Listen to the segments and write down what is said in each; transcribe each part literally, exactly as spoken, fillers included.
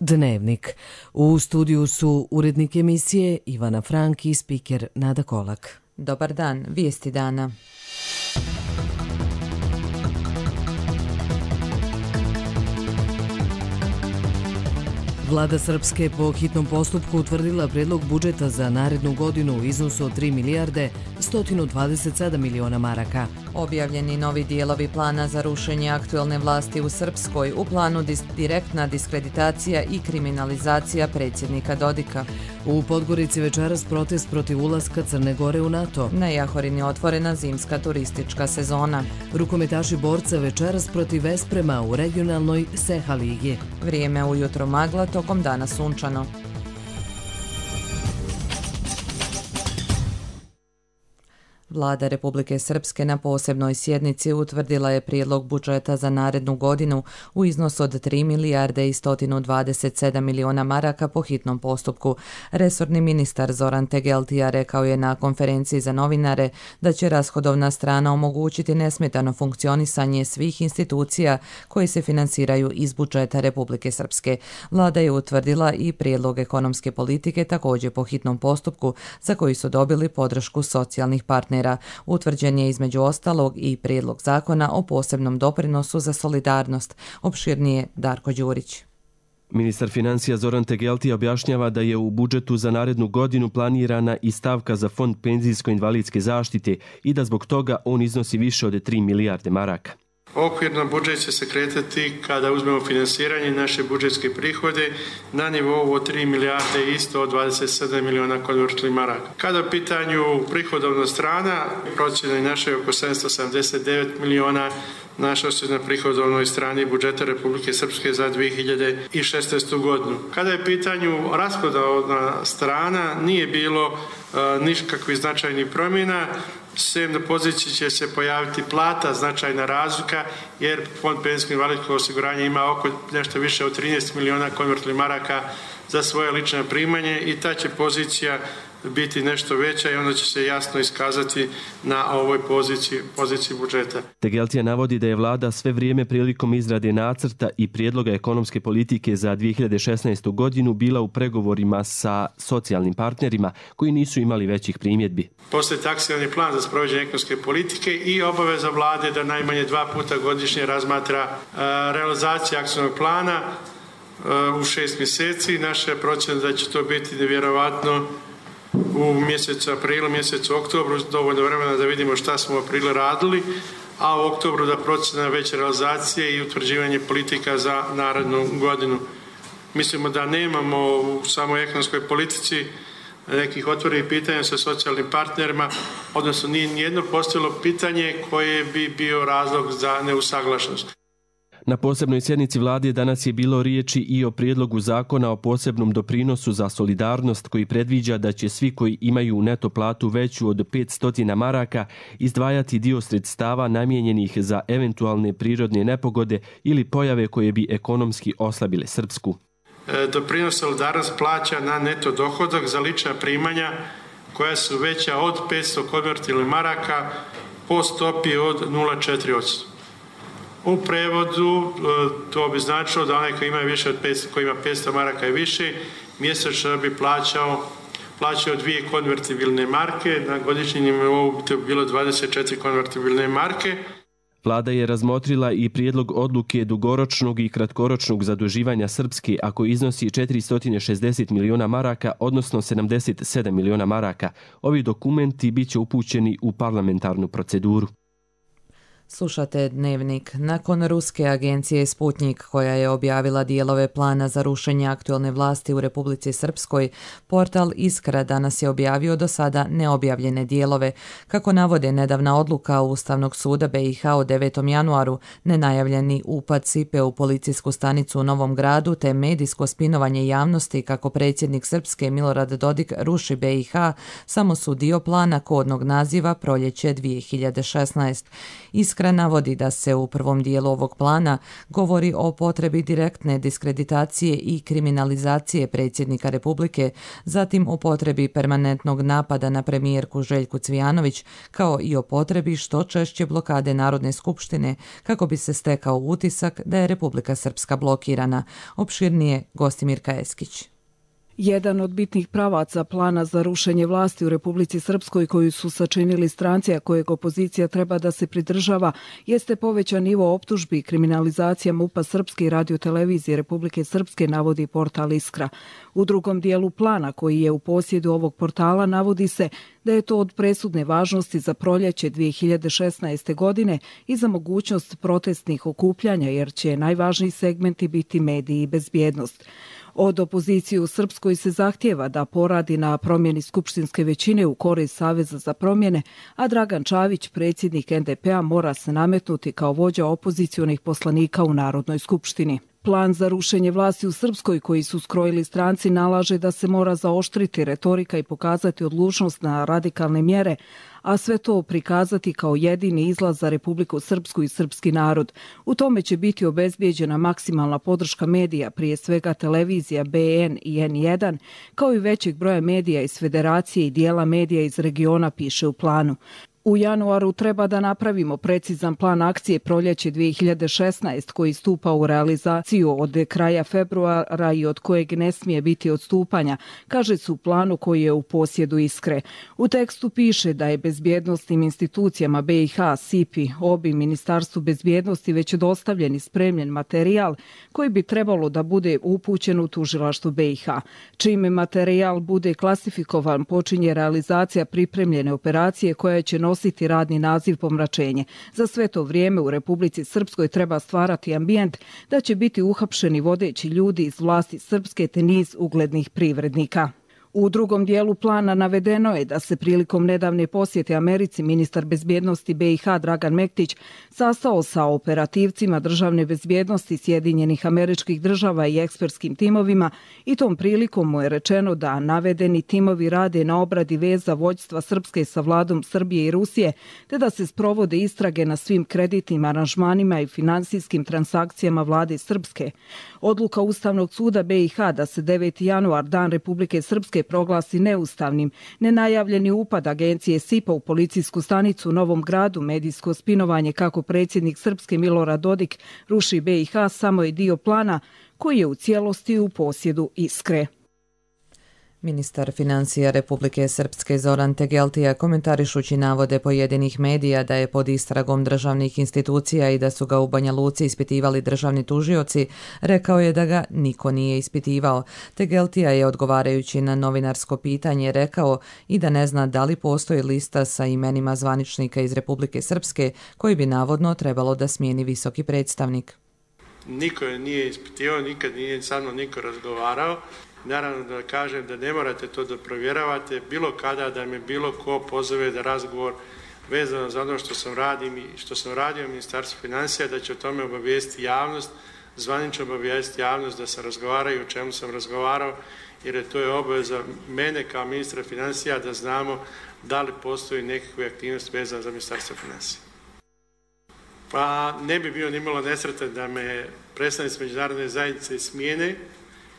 Dnevnik. U studiju su urednik emisije Ivana Frank i spiker Nada Kolak. Dobar dan, vijesti dana. Vlada Srpske po hitnom postupku utvrdila predlog budžeta za narednu godinu u iznosu od tri milijarde sto dvadeset sedam miliona maraka. Objavljeni novi dijelovi plana za rušenje aktuelne vlasti u Srpskoj, u planu dis- direktna diskreditacija i kriminalizacija predsjednika Dodika. U Podgorici večeras protest protiv ulaska Crne Gore u NATO. Na Jahorini otvorena zimska turistička sezona. Rukometaši borca večeras protiv Vesprema u regionalnoj Seha ligi. Vrijeme ujutro magla, tokom dana sunčano. Vlada Republike Srpske na posebnoj sjednici utvrdila je prijedlog budžeta za narednu godinu u iznosu od tri milijarde i sto dvadeset sedam miliona maraka po hitnom postupku. Resorni ministar Zoran Tegeltija rekao je na konferenciji za novinare da će rashodovna strana omogućiti nesmetano funkcionisanje svih institucija koje se finansiraju iz budžeta Republike Srpske. Vlada je utvrdila i prijedlog ekonomske politike također po hitnom postupku za koji su dobili podršku socijalnih partnera. Utvrđen je između ostalog i prijedlog zakona o posebnom doprinosu za solidarnost. Opširnije Darko Đurić. Ministar financija Zoran Tegeltija objašnjava da je u budžetu za narednu godinu planirana i stavka za fond penzijsko-invalidske zaštite i da zbog toga on iznosi više od tri milijarde maraka. Okvirno budžet će se kretati kada uzmemo finansiranje naše budžetske prihode na nivou od tri milijarde i sto dvadeset sedam miliona konvertibilnih maraka. Kada je u pitanju prihodovna strana, procjena je naše oko sedamsto sedamdeset devet miliona našao se na prihodovnoj strani budžeta Republike Srpske za dvije hiljade šesnaestu godinu. Kada je u pitanju rashodovna strana, nije bilo uh, nikakvih značajnih promjena. Sem na poziciji će se pojaviti plata, značajna razlika, jer Fond penzijskog invalidskog osiguranja ima oko nešto više od trinaest miliona konvertibilnih maraka za svoje lično primanje i ta će pozicija biti nešto veća i onda će se jasno iskazati na ovoj poziciji, poziciji budžeta. Tegeltija navodi da je vlada sve vrijeme prilikom izrade nacrta i prijedloga ekonomske politike za dvije hiljade šesnaestu godinu bila u pregovorima sa socijalnim partnerima koji nisu imali većih primjedbi. Postoji akcioni plan za sprovođenje ekonomske politike i obaveza vlade da najmanje dva puta godišnje razmatra uh, realizaciju akcionog plana uh, u šest mjeseci. Naša procjena da će to biti nevjerovatno u mjesecu aprilu, mjesecu oktobru, dovoljno vremena da vidimo šta smo u aprilu radili, a u oktobru da procjena veće realizacije i utvrđivanje politika za narednu godinu. Mislimo da nemamo u samoj ekonomskoj politici nekih otvorenih pitanja sa socijalnim partnerima, odnosno nije nijedno postavilo pitanje koje bi bio razlog za neusaglašenost. Na posebnoj sjednici vlade danas je bilo riječi i o prijedlogu zakona o posebnom doprinosu za solidarnost koji predviđa da će svi koji imaju neto platu veću od petsto maraka izdvajati dio sredstava namijenjenih za eventualne prirodne nepogode ili pojave koje bi ekonomski oslabile Srpsku. E, doprinos solidarnost plaća na neto dohodak za lična primanja koja su veća od petsto konvertibilnih maraka po stopi od nula zarez četiri posto. U prevodu to bi značilo da onaj koji ima više od petsto, koji ima petsto maraka i više, mjesečno bi plaćao, plaćao dvije konvertibilne marke, na godišnjem nivou bi to bilo dvadeset četiri konvertibilne marke. Vlada je razmotrila i prijedlog odluke dugoročnog i kratkoročnog zaduživanja Srpske, ako iznosi četiristo šezdeset miliona maraka, odnosno sedamdeset sedam miliona maraka. Ovi dokumenti bit će upućeni u parlamentarnu proceduru. Slušate Dnevnik. Nakon ruske agencije Sputnik, koja je objavila dijelove plana za rušenje aktuelne vlasti u Republici Srpskoj, portal Iskra danas je objavio do sada neobjavljene dijelove. Kako navode nedavna odluka Ustavnog suda B i H od devetom januaru, nenajavljeni upad Sipe u policijsku stanicu u Novom Gradu te medijsko spinovanje javnosti kako predsjednik Srpske Milorad Dodik ruši B i H samo su dio plana kodnog naziva Proljeće dvije hiljade šesnaeste. Iskra Iskra navodi da se u prvom dijelu ovog plana govori o potrebi direktne diskreditacije i kriminalizacije predsjednika Republike, zatim o potrebi permanentnog napada na premijerku Željku Cvijanović, kao i o potrebi što češće blokade Narodne skupštine kako bi se stekao utisak da je Republika Srpska blokirana. Opširnije Gostimirka Eskić. Jedan od bitnih pravaca plana za rušenje vlasti u Republici Srpskoj koju su sačinili stranci, a kojeg opozicija treba da se pridržava, jeste povećan nivo optužbi i kriminalizacija MUP-a Srpske i radiotelevizije Republike Srpske, navodi portal Iskra. U drugom dijelu plana, koji je u posjedu ovog portala, navodi se da je to od presudne važnosti za proljeće dvije hiljade šesnaeste. godine i za mogućnost protestnih okupljanja, jer će najvažniji segmenti biti mediji i bezbjednost. Od opozicije u Srpskoj se zahtjeva da poradi na promjeni skupštinske većine u korist Saveza za promjene, a Dragan Čavić, predsjednik en de pe a, mora se nametnuti kao vođa opozicionih poslanika u Narodnoj skupštini. Plan za rušenje vlasti u Srpskoj koji su skrojili stranci nalaže da se mora zaoštriti retorika i pokazati odlučnost na radikalne mjere, a sve to prikazati kao jedini izlaz za Republiku Srpsku i srpski narod. U tome će biti obezbijeđena maksimalna podrška medija, prije svega televizija be en i en jedan, kao i većeg broja medija iz Federacije i dijela medija iz regiona, piše u planu. U januaru treba da napravimo precizan plan akcije proljeće dvije hiljade šesnaeste. koji stupa u realizaciju od kraja februara i od kojeg ne smije biti odstupanja, kaže se u planu koji je u posjedu Iskre. U tekstu piše da je bezbjednosnim institucijama be i ha, SIPI, obi, Ministarstvu bezbjednosti već dostavljen i spremljen materijal koji bi trebalo da bude upućen u tužilaštvo be i ha. Čime materijal bude klasifikovan, počinje realizacija pripremljene operacije koja će nositi radni naziv pomračenje. Za sve to vrijeme u Republici Srpskoj treba stvarati ambijent da će biti uhapšeni vodeći ljudi iz vlasti Srpske te niz uglednih privrednika. U drugom dijelu plana navedeno je da se prilikom nedavne posjete Americi ministar bezbjednosti be i ha Dragan Mektić sastao sa operativcima državne bezbjednosti Sjedinjenih Američkih Država i ekspertskim timovima i tom prilikom mu je rečeno da navedeni timovi rade na obradi veza vođstva Srpske sa vladom Srbije i Rusije, te da se sprovode istrage na svim kreditnim aranžmanima i finansijskim transakcijama vlade Srpske. Odluka Ustavnog suda be i ha da se deveti januar, Dan Republike Srpske, proglasi neustavnim, nenajavljeni upad agencije SIPA u policijsku stanicu u Novom Gradu, medijsko spinovanje kako predsjednik Srpske Milorad Dodik ruši be i ha, samo je dio plana koji je u cijelosti u posjedu Iskre. Ministar financija Republike Srpske Zoran Tegeltija, komentarišući navode pojedinih medija da je pod istragom državnih institucija i da su ga u Banja Luci ispitivali državni tužioci, rekao je da ga niko nije ispitivao. Tegeltija je, odgovarajući na novinarsko pitanje, rekao i da ne zna da li postoji lista sa imenima zvaničnika iz Republike Srpske koji bi navodno trebalo da smijeni visoki predstavnik. Niko je nije ispitivao, nikad nije sa mnom niko razgovarao. Naravno da kažem da ne morate to da provjeravate, bilo kada da me bilo ko pozove da razgovor vezano za ono što sam, radim, što sam radio u Ministarstvu financija, da će o tome obavijesti javnost, zvanično obavijesti javnost da se razgovaraju o čemu sam razgovarao, jer to je obaveza mene kao ministra financija da znamo da li postoji nekakve aktivnosti vezane za Ministarstvo financija. Pa ne bi bio nimalo nesretan da me predstavnici međunarodne zajednice smijene,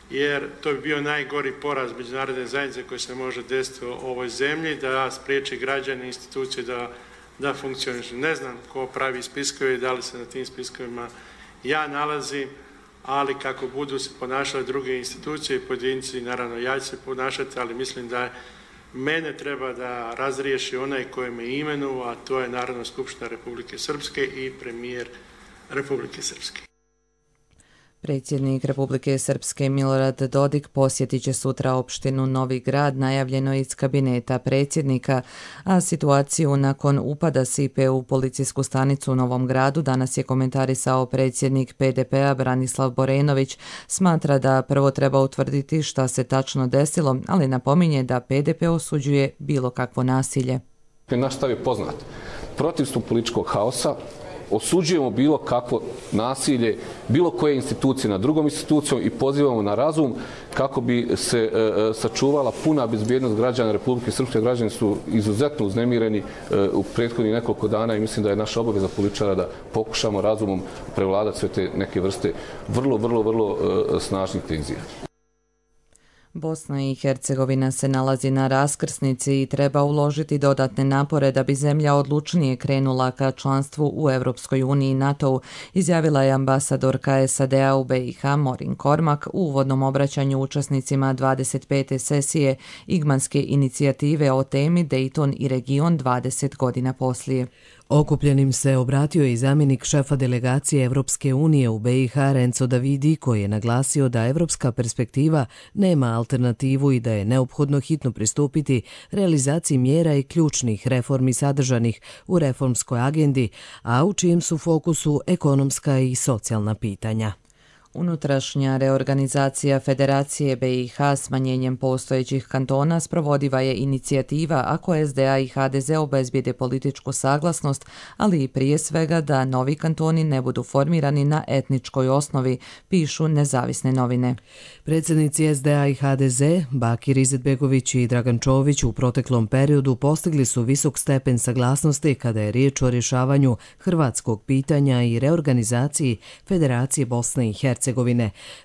jer to bi bio najgori poraz međunarodne zajednice koji se može desiti u ovoj zemlji, da spriječi građane i institucije da, da funkcionišu. Ne znam ko pravi spiskove i da li se na tim spiskovima ja nalazim, ali kako budu se ponašale druge institucije i pojedinci, naravno ja ću se ponašati, ali mislim da mene treba da razriješi onaj koji me imenu, a to je Narodna skupština Republike Srpske i premijer Republike Srpske. Predsjednik Republike Srpske Milorad Dodik posjetit će sutra opštinu Novi Grad, najavljeno iz kabineta predsjednika, a situaciju nakon upada SIPE u policijsku stanicu u Novom Gradu danas je komentarisao predsjednik pe de pe a Branislav Borenović. Smatra da prvo treba utvrditi šta se tačno desilo, ali napominje da pe de pe osuđuje bilo kakvo nasilje. Naš stav je poznat. Protiv su političkog haosa, osuđujemo bilo kakvo nasilje, bilo koje institucije nad drugom institucijom i pozivamo na razum kako bi se sačuvala puna bezbjednost građana Republike Srpske. Građani su izuzetno uznemireni u prethodnih nekoliko dana i mislim da je naša obaveza političara da pokušamo razumom prevladati sve te neke vrste vrlo, vrlo, vrlo snažnih tenzija. Bosna i Hercegovina se nalazi na raskrsnici i treba uložiti dodatne napore da bi zemlja odlučnije krenula ka članstvu u Europskoj uniji i NATO-u, izjavila je ambasadorka S A D-a u B i H Morin Kormak u uvodnom obraćanju učesnicima dvadeset pete sesije Igmanske inicijative o temi Dayton i region dvadeset godina poslije. Okupljenim se obratio i zamjenik šefa delegacije Evropske unije u B i H Renzo Davidi, koji je naglasio da evropska perspektiva nema alternativu i da je neophodno hitno pristupiti realizaciji mjera i ključnih reformi sadržanih u reformskoj agendi, a u čijem su fokusu ekonomska i socijalna pitanja. Unutrašnja reorganizacija Federacije B i H smanjenjem postojećih kantona sprovodiva je inicijativa ako S D A i H D Z obezbijede političku saglasnost, ali i prije svega da novi kantoni ne budu formirani na etničkoj osnovi, pišu nezavisne novine. Predsjednici S D A i H D Z, Bakir Izetbegović i Dragan Čović, u proteklom periodu postigli su visok stepen saglasnosti kada je riječ o rješavanju hrvatskog pitanja i reorganizaciji Federacije Bosne i Hercegovine.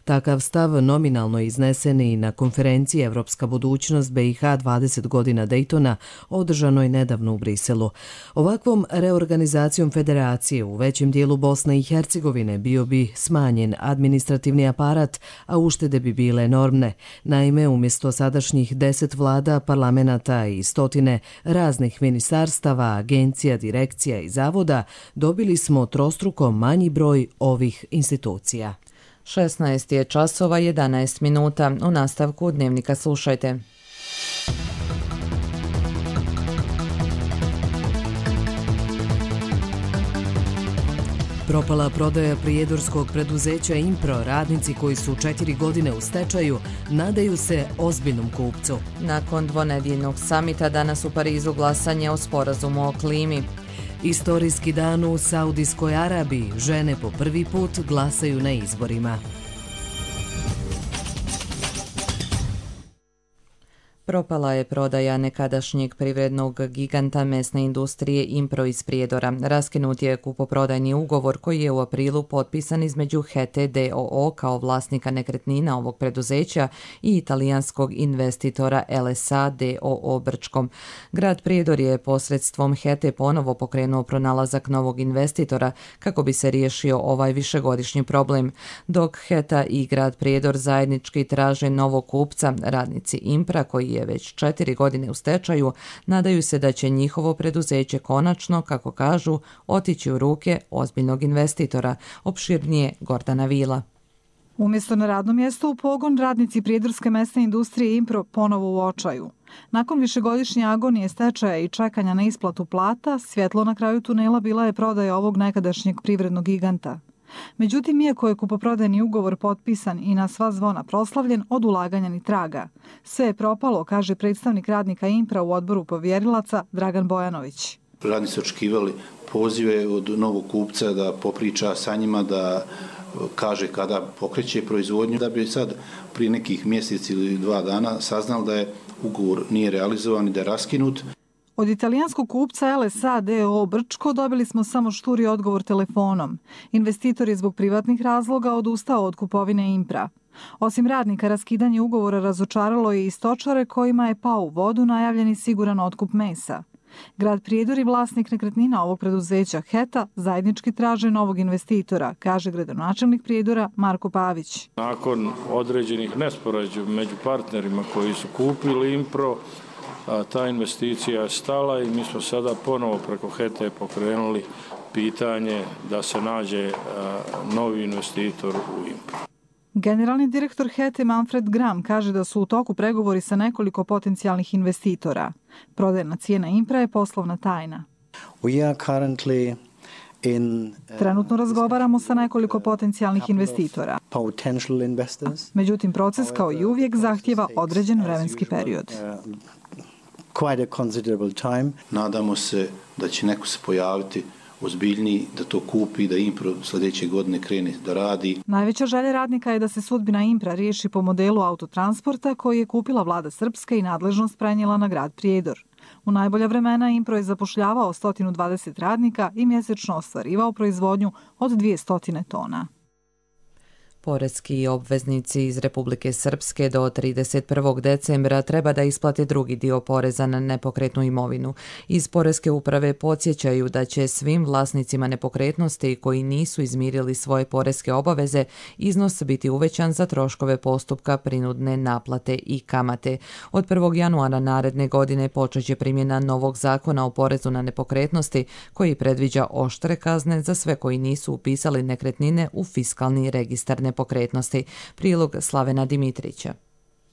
Takav stav nominalno iznesen i na konferenciji Evropska budućnost B i H dvadeset godina Daytona, održanoj nedavno u Briselu. Ovakvom reorganizacijom federacije u većem dijelu Bosne i Hercegovine bio bi smanjen administrativni aparat, a uštede bi bile enormne. Naime, umjesto sadašnjih deset vlada, parlamenta i stotine raznih ministarstava, agencija, direkcija i zavoda, dobili smo trostruko manji broj ovih institucija. šesnaest je časova jedanaest minuta. U nastavku Dnevnika slušajte. Propala prodaja prijedorskog preduzeća Impro, radnici koji su četiri godine u stečaju nadaju se ozbiljnom kupcu. Nakon dvonedjeljnog samita danas u Parizu glasanje o sporazumu o klimi. Istorijski dan u Saudijskoj Arabiji, žene po prvi put glasaju na izborima. Propala je prodaja nekadašnjeg privrednog giganta mesne industrije Impro iz Prijedora. Raskinut je kupoprodajni ugovor koji je u aprilu potpisan između H E T D O O kao vlasnika nekretnina ovog preduzeća i italijanskog investitora L S A D O O Brčkom. Grad Prijedor je posredstvom H E T ponovo pokrenuo pronalazak novog investitora kako bi se riješio ovaj višegodišnji problem. Dok H E T A i grad Prijedor zajednički traže novog kupca, radnici Impra koji je već četiri godine u stečaju, nadaju se da će njihovo preduzeće konačno, kako kažu, otići u ruke ozbiljnog investitora, opširnije Gordana Vila. Umjesto na radnom mjestu u pogon, radnici prijedorske mesne industrije Impro ponovo u očaju. Nakon višegodišnje agonije stečaja i čekanja na isplatu plata, svjetlo na kraju tunela bila je prodaja ovog nekadašnjeg privrednog giganta. Međutim, iako je kupoprodajni ugovor potpisan i na sva zvona proslavljen, od ulaganja ni traga. Sve je propalo, kaže predstavnik radnika Impra u odboru povjerilaca Dragan Bojanović. Radnici su očekivali pozive od novog kupca da popriča sa njima, da kaže kada pokreće proizvodnju, da bi sad prije nekih mjeseci ili dva dana saznali da je ugovor nije realizovan i da je raskinut. Od italijanskog kupca L S A D O O Brčko dobili smo samo šturi odgovor telefonom. Investitor je zbog privatnih razloga odustao od kupovine Impra. Osim radnika, raskidanje ugovora razočaralo je i stočare kojima je pao u vodu najavljeni siguran otkup mesa. Grad Prijedor i vlasnik nekretnina ovog preduzeća H E T A zajednički traže novog investitora, kaže gradonačelnik Prijedora Marko Pavić. Nakon određenih nesporazuma među partnerima koji su kupili Impro, a ta investicija je stala i mi smo sada ponovo preko H E T A pokrenuli pitanje da se nađe novi investitor u Impro. Generalni direktor H E T A Manfred Gram kaže da su u toku pregovori sa nekoliko potencijalnih investitora. Prodajna cijena Impra je poslovna tajna. Trenutno razgovaramo sa nekoliko potencijalnih investitora. Međutim, proces kao i uvijek zahtjeva određen vremenski period. Nadamo se da će neko se pojaviti ozbiljniji, da to kupi, da Impro sljedeće godine krene da radi. Najveća želja radnika je da se sudbina Impra riješi po modelu autotransporta koji je kupila vlada Srpske i nadležnost prenijela na grad Prijedor. U najbolja vremena Impro je zapošljavao sto dvadeset radnika i mjesečno ostvarivao proizvodnju od dvjesto tona. Poreski obveznici iz Republike Srpske do trideset prvog decembra treba da isplate drugi dio poreza na nepokretnu imovinu. Iz Poreske uprave podsjećaju da će svim vlasnicima nepokretnosti koji nisu izmirili svoje poreske obaveze iznos biti uvećan za troškove postupka prinudne naplate i kamate. Od prvog januara naredne godine počeće primjena novog zakona o porezu na nepokretnosti koji predviđa oštre kazne za sve koji nisu upisali nekretnine u fiskalni registar nepokretnosti. Prilog Slavena Dimitrića.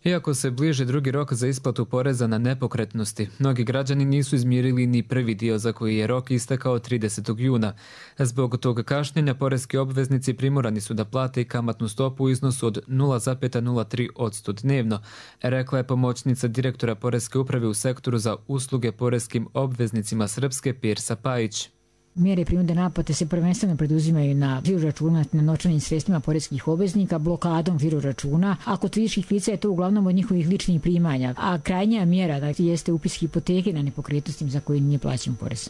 Iako se bliže drugi rok za isplatu poreza na nepokretnosti, mnogi građani nisu izmirili ni prvi dio za koji je rok istekao tridesetog juna. Zbog tog kašnjenja poreski obveznici primorani su da plate i kamatnu stopu u iznosu od nula zarez nula tri posto dnevno, rekla je pomoćnica direktora Poreske uprave u sektoru za usluge poreskim obveznicima Srpske Pirsa Pajić. Mjere prinudne naplate se prvenstveno preduzimaju na žiro računa, na novčanim sredstvima poreskih obveznika, blokadom žiro računa, a kod fizičkih lica je to uglavnom od njihovih ličnih primanja, a krajnja mjera dakle, jeste upis hipoteke na nepokretnostima za koje nije plaćen porez.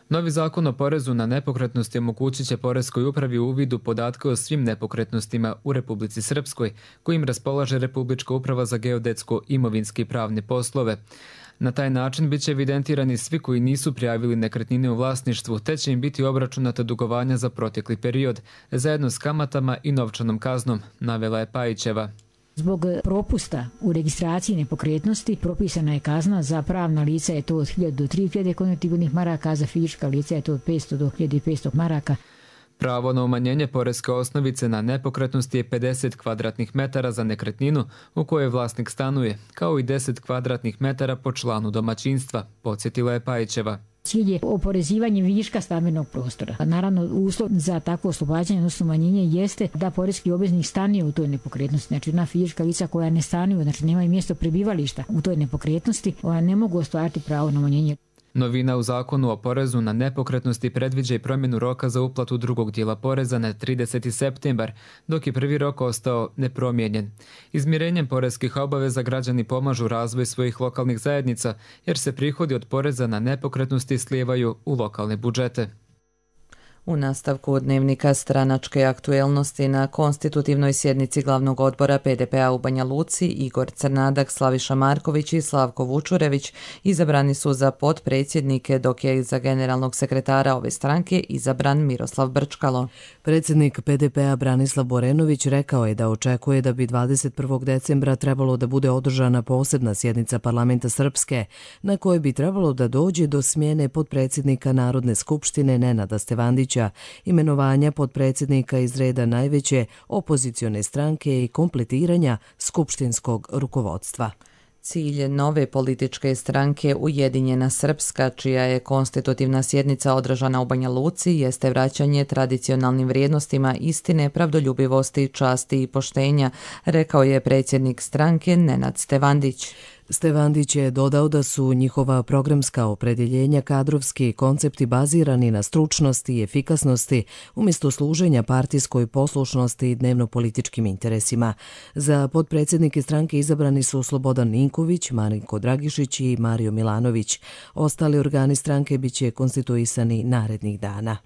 Novi zakon o porezu na nepokretnosti omogućit će Poreskoj upravi uvid u podatke o svim nepokretnostima u Republici Srpskoj, kojim raspolaže Republička uprava za geodetsko-imovinske i pravne poslove. Na taj način bit će evidentirani svi koji nisu prijavili nekretnine u vlasništvu, te će im biti obračunata dugovanja za protekli period, zajedno s kamatama i novčanom kaznom, navela je Pajićeva. Zbog propusta u registraciji nepokretnosti propisana je kazna, za pravna lica je to od hiljadu do tri hiljade konvertibilnih maraka, a za fizička lica je to od petsto do hiljadu petsto maraka. Pravo na umanjenje poreske osnovice na nepokretnosti je pedeset kvadratnih metara za nekretninu u kojoj vlasnik stanuje, kao i deset kvadratnih metara po članu domaćinstva, podsjetila je Pajićeva. Cilj je oporezivanje viška stambenog prostora. Naravno, uslov za takvo oslobađanje, odnosno umanjenje, jeste da poreski obveznik stanuje u toj nepokretnosti. Znači, na fizička lica koja ne stanuju, znači nemaju mjesto prebivališta u toj nepokretnosti, ona ne mogu ostvariti pravo na umanjenje. Novina u zakonu o porezu na nepokretnosti predviđa i promjenu roka za uplatu drugog dijela poreza na trideseti septembar, dok je prvi rok ostao nepromijenjen. Izmirenjem poreskih obaveza građani pomažu razvoj svojih lokalnih zajednica, jer se prihodi od poreza na nepokretnosti slijevaju u lokalne budžete. U nastavku dnevnika stranačke aktuelnosti na konstitutivnoj sjednici glavnog odbora P D P-a u Banja Luci Igor Crnadak, Slaviša Marković i Slavko Vučurević izabrani su za potpredsjednike, dok je za generalnog sekretara ove stranke izabran Miroslav Brčkalo. Predsjednik P D P-a Branislav Borenović rekao je da očekuje da bi dvadeset prvog decembra trebalo da bude održana posebna sjednica parlamenta Srpske, na kojoj bi trebalo da dođe do smjene potpredsjednika Narodne skupštine Nenada Stevandića, imenovanja potpredsjednika iz reda najveće opozicione stranke i kompletiranja skupštinskog rukovodstva. Cilj nove političke stranke Ujedinjena Srpska, čija je konstitutivna sjednica održana u Banja Luci, jeste vraćanje tradicionalnim vrijednostima istine, pravdoljubivosti, časti i poštenja, rekao je predsjednik stranke Nenad Stevandić. Stevandić je dodao da su njihova programska opredjeljenja kadrovski koncepti bazirani na stručnosti i efikasnosti umjesto služenja partijskoj poslušnosti i dnevno-političkim interesima. Za potpredsjednike stranke izabrani su Slobodan Ninković, Marinko Dragišić i Mario Milanović. Ostali organi stranke biće konstituisani narednih dana.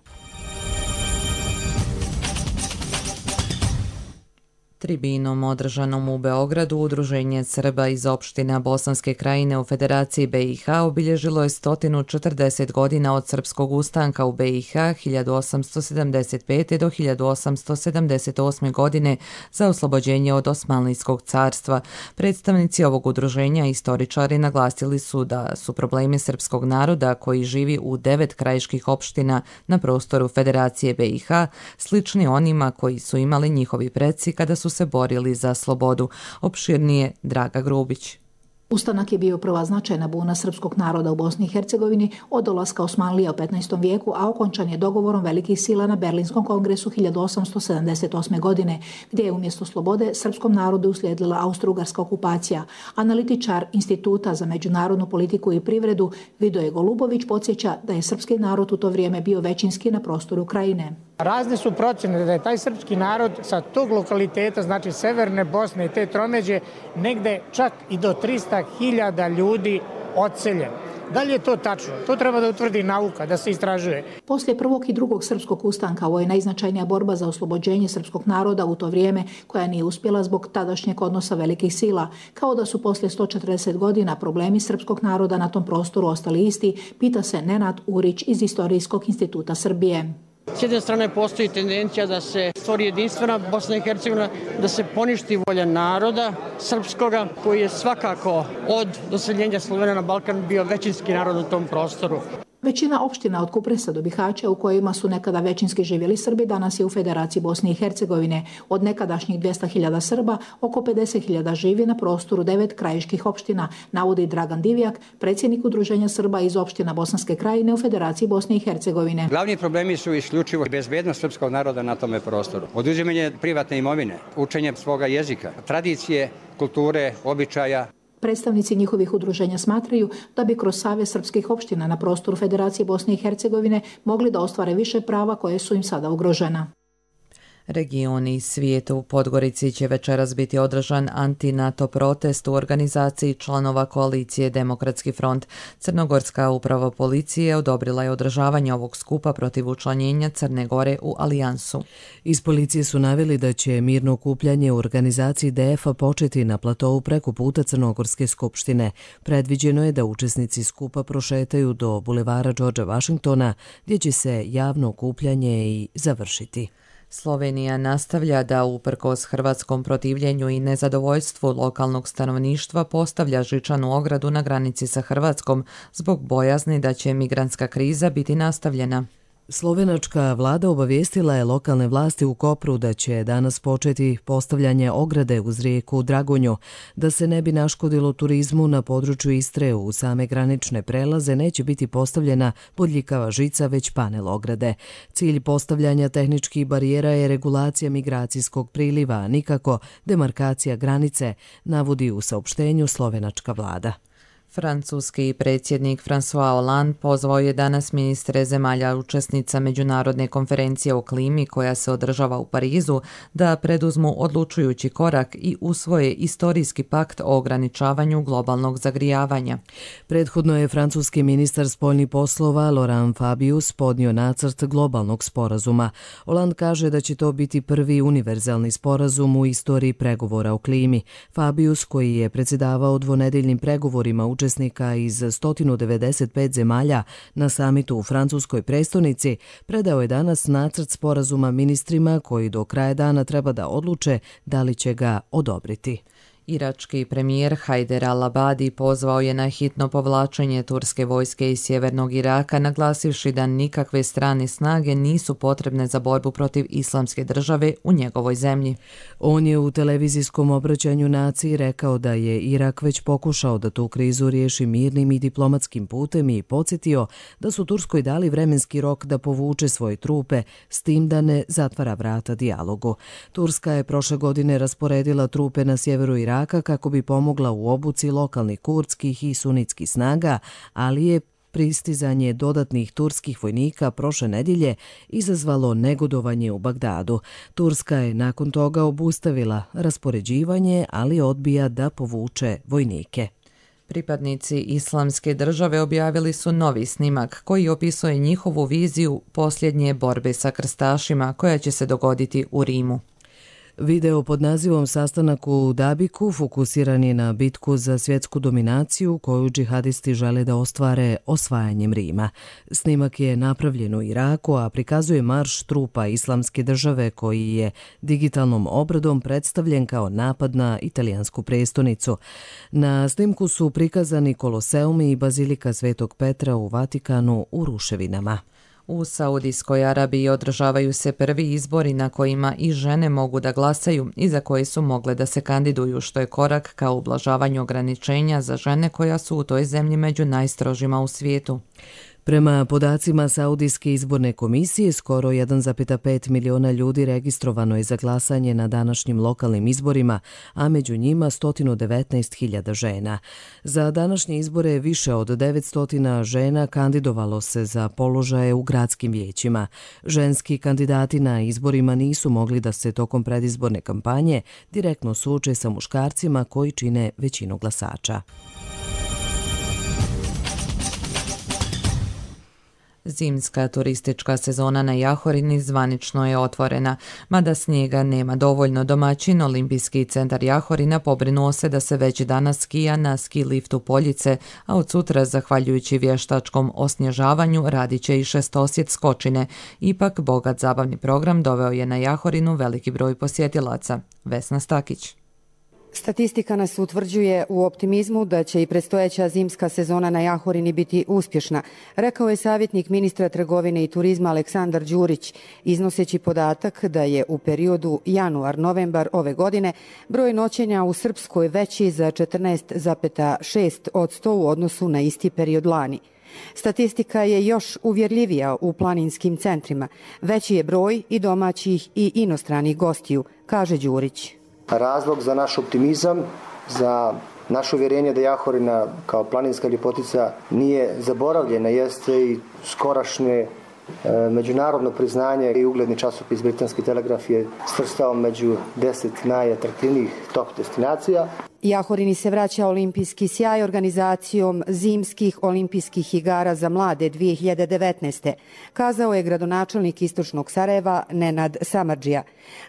Tribinom održanom u Beogradu Udruženje Srba iz opština Bosanske krajine u Federaciji B i H obilježilo je sto četrdeset godina od srpskog ustanka u B i H hiljadu osamsto sedamdeset pete. do hiljadu osamsto sedamdeset osme. godine za oslobođenje od Osmanlijskog carstva. Predstavnici ovog udruženja i istoričari naglasili su da su problemi srpskog naroda koji živi u devet krajiških opština na prostoru Federacije B i H slični onima koji su imali njihovi preci kada su se borili za slobodu. Opširnije Draga Grubić. Ustanak je bio prva značajna buna srpskog naroda u Bosni i Hercegovini od dolaska Osmanlija u petnaestom vijeku, a okončan je dogovorom velikih sila na Berlinskom kongresu hiljadu osamsto sedamdeset osme. godine, gdje je umjesto slobode srpskom narodu uslijedila austro-ugarska okupacija. Analitičar Instituta za međunarodnu politiku i privredu Vidoje Golubović podsjeća da je srpski narod u to vrijeme bio većinski na prostoru Krajine. Razne su procjene da je taj srpski narod sa tog lokaliteta, znači Severne Bosne i te tromeđe, negde čak i do trista hiljada ljudi odseljen. Da li je to tačno? To treba da utvrdi nauka, da se istražuje. Poslije prvog i drugog srpskog ustanka, ovo je najznačajnija borba za oslobođenje srpskog naroda u to vrijeme, koja nije uspjela zbog tadašnjeg odnosa velikih sila. Kao da su poslije sto četrdeset godina problemi srpskog naroda na tom prostoru ostali isti, pita se Nenad Urić iz Istorijskog instituta Srbije. S jedne strane postoji tendencija da se stvori jedinstvena Bosna i Hercegovina, da se poništi volja naroda srpskoga, koji je svakako od doseljenja Slovena na Balkan bio većinski narod u tom prostoru. Većina opština od Kupresa do Bihaća, u kojima su nekada većinski živjeli Srbi, danas je u Federaciji Bosne i Hercegovine. Od nekadašnjih dvjesto hiljada Srba, oko pedeset hiljada živi na prostoru devet krajiških opština, navodi Dragan Divjak, predsjednik Udruženja Srba iz opština Bosanske Krajine u Federaciji Bosne i Hercegovine. Glavni problemi su isključivo bezbednost srpskog naroda na tome prostoru. Oduzimanje privatne imovine, učenje svoga jezika, tradicije, kulture, običaja. Predstavnici njihovih udruženja smatraju da bi kroz Savez srpskih opština na prostoru Federacije Bosne i Hercegovine mogli da ostvare više prava koje su im sada ugrožena. Regioni svijetu u Podgorici će večeras biti održan anti-NATO protest u organizaciji članova koalicije Demokratski front. Crnogorska uprava policije odobrila je održavanje ovog skupa protiv učlanjenja Crne Gore u alijansu. Iz policije su naveli da će mirno okupljanje u organizaciji D F-a početi na platovu preko puta Crnogorske skupštine. Predviđeno je da učesnici skupa prošetaju do bulevara Đorđa Vašingtona, gdje će se javno okupljanje i završiti. Slovenija nastavlja da uprkos hrvatskom protivljenju i nezadovoljstvu lokalnog stanovništva postavlja žičanu ogradu na granici sa Hrvatskom zbog bojazni da će migrantska kriza biti nastavljena. Slovenačka vlada obavijestila je lokalne vlasti u Kopru da će danas početi postavljanje ograde uz rijeku Dragonju. Da se ne bi naškodilo turizmu na području Istre, u same granične prelaze neće biti postavljena bodljikava žica, već panel ograde. Cilj postavljanja tehničkih barijera je regulacija migracijskog priliva, a nikako demarkacija granice, navodi u saopštenju slovenačka vlada. Francuski predsjednik François Hollande pozvao je danas ministre zemalja učesnica međunarodne konferencije o klimi koja se održava u Parizu da preduzmu odlučujući korak i usvoje istorijski pakt o ograničavanju globalnog zagrijavanja. Prethodno je francuski ministar spoljnih poslova Laurent Fabius podnio nacrt globalnog sporazuma. Hollande kaže da će to biti prvi univerzalni sporazum u istoriji pregovora o klimi. Fabius, koji je predsjedavao dvonedeljnim pregovorima učesnika učesnika iz sto devedeset pet zemalja na samitu u francuskoj prestonici, predao je danas nacrt sporazuma ministrima koji do kraja dana treba da odluče da li će ga odobriti. Irački premijer Hajder al-Abadi pozvao je na hitno povlačenje turske vojske iz sjevernog Iraka, naglasivši da nikakve strane snage nisu potrebne za borbu protiv islamske države u njegovoj zemlji. On je u televizijskom obraćanju naciji rekao da je Irak već pokušao da tu krizu riješi mirnim i diplomatskim putem i podsjetio da su Turskoj dali vremenski rok da povuče svoje trupe, s tim da ne zatvara vrata dijalogu. Turska je prošle godine rasporedila trupe na sjeveru Iraka kako bi pomogla u obuci lokalnih kurdskih i sunitskih snaga, ali je pristizanje dodatnih turskih vojnika prošle nedjelje izazvalo negodovanje u Bagdadu. Turska je nakon toga obustavila raspoređivanje, ali odbija da povuče vojnike. Pripadnici islamske države objavili su novi snimak koji opisuje njihovu viziju posljednje borbe sa krstašima koja će se dogoditi u Rimu. Video pod nazivom Sastanak u Dabiku fokusiran je na bitku za svjetsku dominaciju koju džihadisti žele da ostvare osvajanjem Rima. Snimak je napravljen u Iraku, a prikazuje marš trupa islamske države koji je digitalnom obradom predstavljen kao napad na italijansku prestonicu. Na snimku su prikazani Koloseum i Bazilika Svetog Petra u Vatikanu u ruševinama. U Saudijskoj Arabiji održavaju se prvi izbori na kojima i žene mogu da glasaju i za koje su mogle da se kandiduju, što je korak ka ublažavanju ograničenja za žene koja su u toj zemlji među najstrožima u svijetu. Prema podacima Saudijske izborne komisije, skoro jedan zarez pet miliona ljudi registrovano je za glasanje na današnjim lokalnim izborima, a među njima sto devetnaest hiljada žena. Za današnje izbore više od devetsto žena kandidovalo se za položaje u gradskim vijećima. Ženski kandidati na izborima nisu mogli da se tokom predizborne kampanje direktno suoče sa muškarcima koji čine većinu glasača. Zimska turistička sezona na Jahorini zvanično je otvorena. Mada snijega nema dovoljno, domaćin Olimpijski centar Jahorina pobrinuo se da se već danas skija na ski liftu Poljice, a od sutra, zahvaljujući vještačkom osnježavanju, radit će i šestosjet skočine. Ipak, bogat zabavni program doveo je na Jahorinu veliki broj posjetilaca. Vesna Stakić. Statistika nas utvrđuje u optimizmu da će i predstojeća zimska sezona na Jahorini biti uspješna, rekao je savjetnik ministra trgovine i turizma Aleksandar Đurić, iznoseći podatak da je u periodu januar-novembar ove godine broj noćenja u Srpskoj veći za četrnaest zarez šest posto u odnosu na isti period lani. Statistika je još uvjerljivija u planinskim centrima. Veći je broj i domaćih i inostranih gostiju, kaže Đurić. Razlog za naš optimizam, za naše uvjerenje da Jahorina kao planinska ljepotica nije zaboravljena, jeste i skorašnje e, međunarodno priznanje i ugledni časopis Britanski telegraf je svrstao među deset najatraktivnijih top destinacija. Jahorini se vraća olimpijski sjaj organizacijom Zimskih olimpijskih igara za mlade dvije hiljade devetnaeste. Kazao je gradonačelnik Istočnog Sarajeva Nenad Samardžija.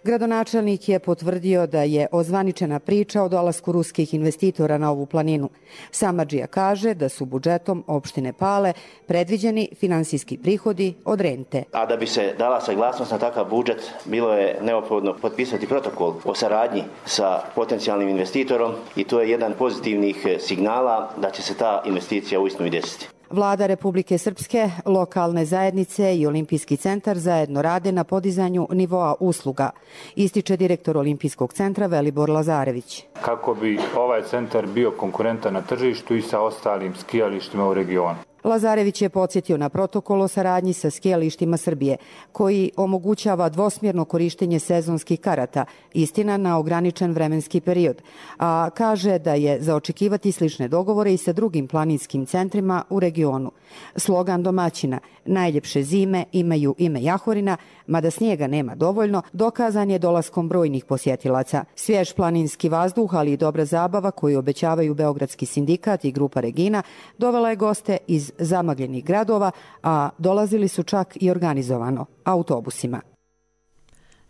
Gradonačelnik je potvrdio da je ozvaničena priča o dolasku ruskih investitora na ovu planinu. Samardžija kaže da su budžetom opštine Pale predviđeni finansijski prihodi od rente. A da bi se dala saglasnost na takav budžet, bilo je neophodno potpisati protokol o saradnji sa potencijalnim investitorom i to je jedan pozitivnih signala da će se ta investicija uistinu i desiti. Vlada Republike Srpske, lokalne zajednice i Olimpijski centar zajedno rade na podizanju nivoa usluga, ističe direktor Olimpijskog centra Velibor Lazarević. Kako bi ovaj centar bio konkurentan na tržištu i sa ostalim skijalištima u regionu. Lazarević je podsjetio na protokol o saradnji sa skijalištima Srbije, koji omogućava dvosmjerno korištenje sezonskih karata, istina na ograničen vremenski period, a kaže da je za očekivati slične dogovore i sa drugim planinskim centrima u regionu. Slogan domaćina "Najljepše zime imaju ime Jahorina", mada snijega nema dovoljno, dokazan je dolaskom brojnih posjetilaca. Svjež planinski vazduh, ali i dobra zabava koju obećavaju Beogradski sindikat i grupa Regina, dovela je goste iz zamagljenih gradova, a dolazili su čak i organizovano autobusima.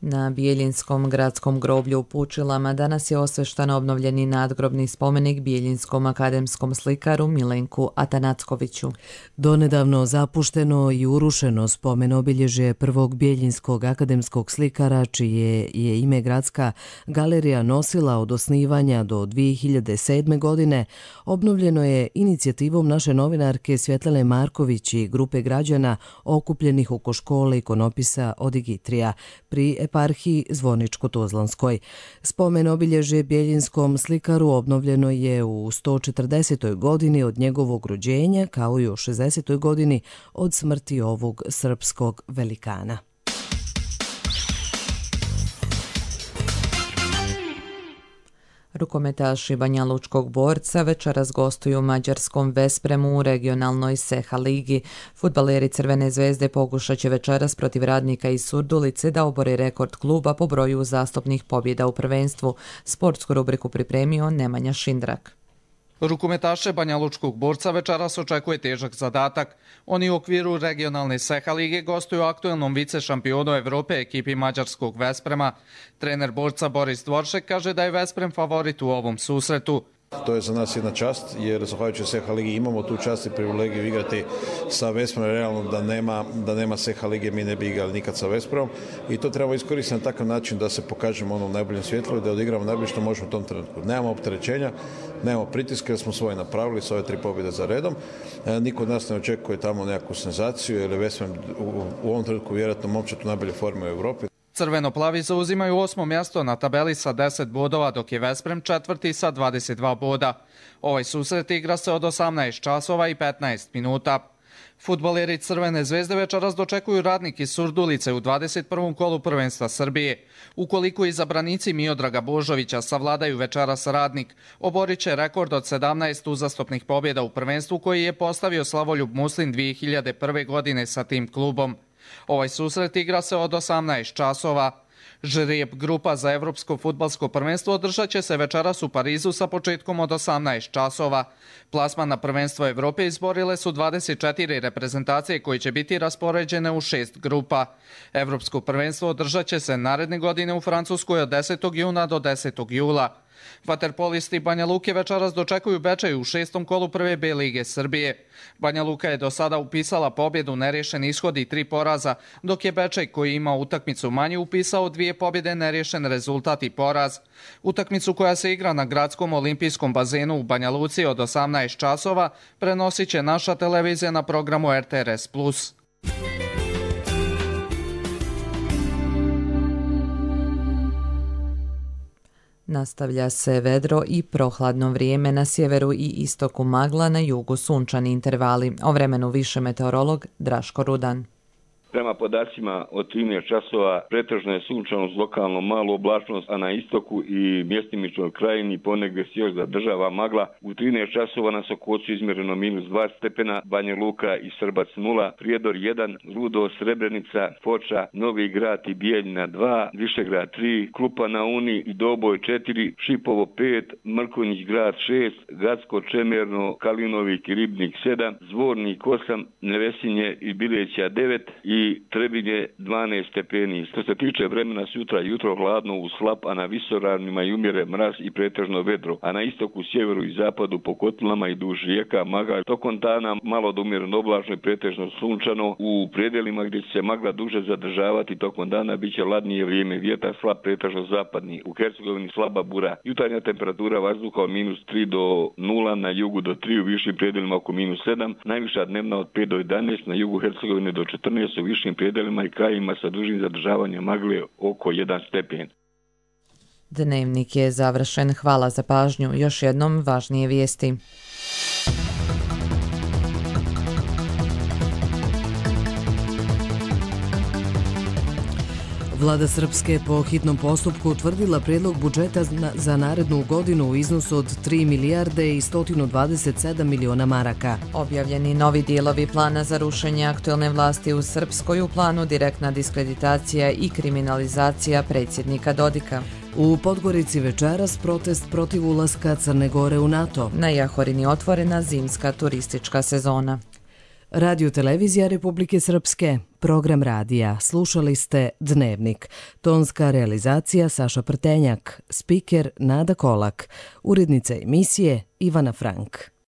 Na Bijeljinskom gradskom groblju u Pučilama danas je osveštan obnovljeni nadgrobni spomenik bijeljinskom akademskom slikaru Milenku Atanackoviću. Donedavno zapušteno i urušeno spomen obilježje prvog bijeljinskog akademskog slikara, čije je ime Gradska galerija nosila od osnivanja do dvije hiljade sedme. godine, obnovljeno je inicijativom naše novinarke Svjetlane Marković i grupe građana okupljenih oko škole ikonopisa Odigitrija pri eparhiji Zvorničko-Tuzlanskoj. Spomen obilježje bijeljinskom slikaru obnovljeno je u sto četrdesetoj. godini od njegovog rođenja, kao i u šezdesetoj. godini od smrti ovog srpskog velikana. Rukometaši Banjalučkog Borca večeras gostuju u mađarskom Vespremu u regionalnoj Seha ligi. Fudbaleri Crvene zvezde pokušat će večeras protiv Radnika iz Surdulice da obore rekord kluba po broju uzastopnih pobjeda u prvenstvu. Sportsku rubriku pripremio Nemanja Šindrak. Rukometaše Banjalučkog Borca večeras očekuje težak zadatak. Oni u okviru regionalne Seha lige gostuju aktuelnom vice šampionu Evrope ekipi mađarskog Vesprema. Trener Borca Boris Dvoršek kaže da je Vesprem favorit u ovom susretu. To je za nas jedna čast, jer zahvaljujući S H ligi imamo tu čast i privilegiju igrati sa Veszprom. Realno da nema, da nema S H lige mi ne bi igrali nikad sa Veszprom i to treba iskoristiti na takav način da se pokažemo ono u najboljem svjetlu i da odigramo najbolje što možemo u tom trenutku. Nemamo opterećenja, nemamo pritiske jer smo svoje napravili s ove tri pobjede za redom. E, niko od nas ne očekuje tamo nekakvu senzaciju jer je Veszprom u, u ovom trenutku vjerojatno momčad u najbolje forme u Europi. Crveno-plavi zauzimaju osmo mjesto na tabeli sa deset bodova, dok je Veszprem četvrti sa dvadeset dva boda. Ovaj susret igra se od osamnaest časova i petnaest minuta. Fudbaleri Crvene zvezde večeras dočekuju Radnik iz Surdulice u dvadeset prvom kolu prvenstva Srbije. Ukoliko izabranici Miodraga Božovića savladaju večeras Radnik, oborit će rekord od sedamnaest uzastopnih pobjeda u prvenstvu koji je postavio Slavoljub Muslin dvije hiljade prve. godine sa tim klubom. Ovaj susret igra se od osamnaest časova. Žreb grupa za Evropsko fudbalsko prvenstvo održat će se večeras u Parizu sa početkom od osamnaest časova. Plasman na prvenstvo Evrope izborile su dvadeset četiri reprezentacije koje će biti raspoređene u šest grupa. Evropsko prvenstvo održat će se naredne godine u Francuskoj od desetog juna do desetog jula. Vaterpolisti Banja Luke večeras dočekuju Bečej u šestom kolu prve B lige Srbije. Banja Luka je do sada upisala pobjedu, nerješen ishod i tri poraza, dok je Bečej, koji ima utakmicu manje, upisao dvije pobjede, nerješen rezultat i poraz. Utakmicu koja se igra na gradskom olimpijskom bazenu u Banja Luci od osamnaest časova prenosit će naša televizija na programu R T R S plus. Nastavlja se vedro i prohladno vrijeme, na sjeveru i istoku magla, na jugu sunčani intervali. O vremenu više meteorolog Draško Rudan. Prema podacima od trinaest časova pretežno je sunčano s lokalnom malu oblačnost, a na istoku i mjestimičnoj krajini ponegdje se još zadržava magla. U trinaest časova na Sokocu izmjereno minus dva stepena, Banja Luka i Srbac nula, Prijedor jedan, Rudo, Srebrenica, Foča, Novi Grad i Bijeljina dva, Višegrad tri, Klupa na Uni i Doboj četiri, Šipovo pet, Mrkonjić grad šest, Gacko, Čemerno, Kalinovik i Ribnik sedam, Zvornik osam, Nevesinje i Bileća devet i Trebinje dvanaest stepeni. Što se tiče vremena sutra, jutro hladno uz slap, a na visoravnima i umjere mraz i pretežno vedro, a na istoku, sjeveru i zapadu po kotlama i duž rijeka magla. Tokom dana malo do umjereno oblačno i pretežno sunčano. U predelima gdje će se magla duže zadržavati tokom dana bit će ladnije vrijeme, vjetar slab pretežno zapadni. U Hercegovini slaba bura. Jutarnja temperatura vazduha od minus tri do nula, na jugu do tri, u višim predelima oko minus sedam, najviša dnevna od pet do jedanaest, na jugu Hercegovine do četrnaest, u višim predelima i krajima sa dužim zadržavanjem magle oko jedan stepen. Dnevnik je završen. Hvala za pažnju. Još jednom važnije vijesti. Vlada Srpske po hitnom postupku utvrdila prijedlog budžeta za narednu godinu u iznosu od tri milijarde i sto dvadeset sedam miliona maraka. Objavljeni novi dijelovi plana za rušenje aktuelne vlasti u Srpskoj, u planu direktna diskreditacija i kriminalizacija predsjednika Dodika. U Podgorici večeras protest protiv ulaska Crne Gore u NATO. Na Jahorini otvorena zimska turistička sezona. Radio televizija Republike Srpske, program radija. Slušali ste Dnevnik. Tonska realizacija Saša Prtenjak, spiker Nada Kolak, urednica emisije Ivana Frank.